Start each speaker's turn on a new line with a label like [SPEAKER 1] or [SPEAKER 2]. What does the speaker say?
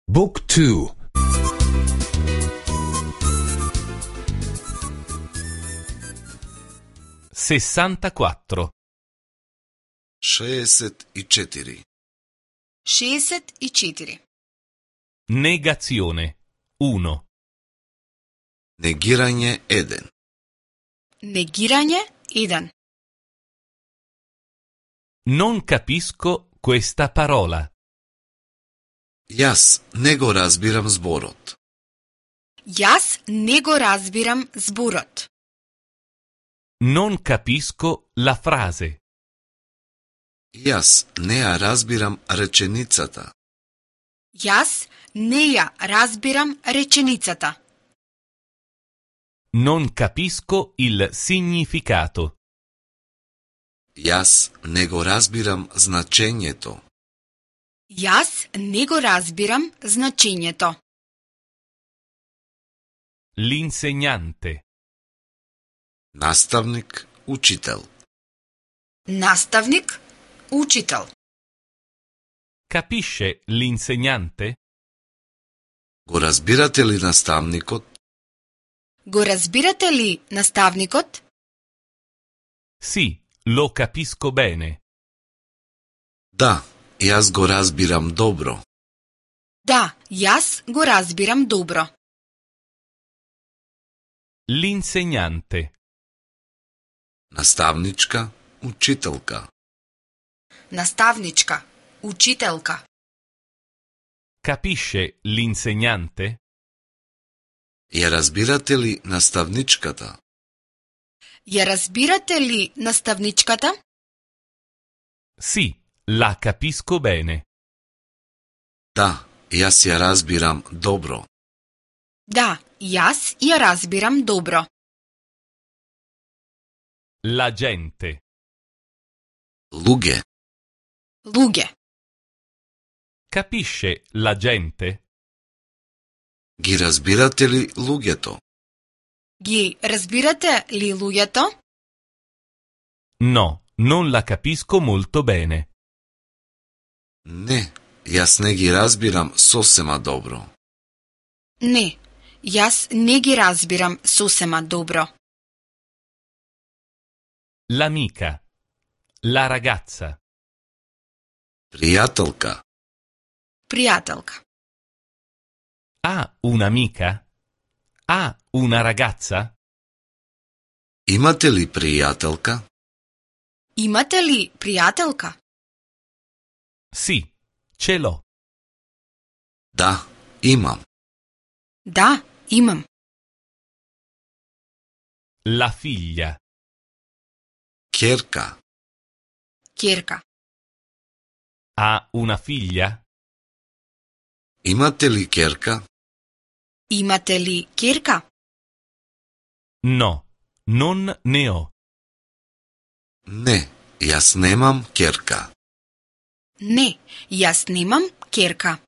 [SPEAKER 1] Book 2.
[SPEAKER 2] 64.
[SPEAKER 3] 64.
[SPEAKER 4] 64.
[SPEAKER 2] Negazione 1.
[SPEAKER 3] Негирање 1.
[SPEAKER 4] Негирање 1.
[SPEAKER 2] Non capisco questa parola.
[SPEAKER 3] Јас не го разбирам зборот.
[SPEAKER 4] Јас не го разбирам зборот.
[SPEAKER 2] Non capisco la frase.
[SPEAKER 3] Јас не ја разбирам реченицата.
[SPEAKER 4] Јас не ја разбирам реченицата.
[SPEAKER 2] Non capisco il significato.
[SPEAKER 3] Јас не го разбирам значењето.
[SPEAKER 4] Јас не го разбирам значењето.
[SPEAKER 2] L'insegnante.
[SPEAKER 3] Наставник, учител.
[SPEAKER 4] Наставник, учител.
[SPEAKER 2] Capisce l'insegnante?
[SPEAKER 3] Го разбирате ли наставникот?
[SPEAKER 4] Го разбирате ли наставникот?
[SPEAKER 2] Sì, lo capisco bene.
[SPEAKER 3] Да, јас го разбирам добро.
[SPEAKER 4] Да, јас го разбирам добро.
[SPEAKER 2] L'insegnante.
[SPEAKER 3] Наставничка, учителка.
[SPEAKER 4] Наставничка, учителка.
[SPEAKER 2] Capisce l'insegnante?
[SPEAKER 3] Ја разбирате ли наставничката?
[SPEAKER 4] Ја разбирате ли наставничката?
[SPEAKER 2] Sì, la capisco bene.
[SPEAKER 3] Да, јас ја разбирам добро.
[SPEAKER 4] Да, јас ја разбирам добро.
[SPEAKER 2] La gente.
[SPEAKER 3] Луѓе.
[SPEAKER 4] Луѓе.
[SPEAKER 2] Capisce la gente?
[SPEAKER 3] Ги разбирате ли луѓето?
[SPEAKER 4] Ги разбирате ли луѓето?
[SPEAKER 2] No, non la capisco molto bene.
[SPEAKER 3] Не, јас не ги разбирам сосема добро.
[SPEAKER 4] Не, јас не ги разбирам сосема добро.
[SPEAKER 2] L'amica. La ragazza.
[SPEAKER 3] Пријателка.
[SPEAKER 4] Пријателка.
[SPEAKER 2] Ha un'amica? Ha una ragazza?
[SPEAKER 3] Имате ли пријателка?
[SPEAKER 4] Имате ли пријателка?
[SPEAKER 2] Sì, ce l'ho.
[SPEAKER 3] Да, имам.
[SPEAKER 4] Да, имам.
[SPEAKER 2] La figlia.
[SPEAKER 3] Ќерка.
[SPEAKER 4] Ќерка.
[SPEAKER 2] Ha una figlia?
[SPEAKER 3] Имате ли ќерка?
[SPEAKER 4] Имате ли ќерка?
[SPEAKER 2] No, non ne ho.
[SPEAKER 3] Не, јас немам ќерка.
[SPEAKER 4] Не, јас немам ќерка.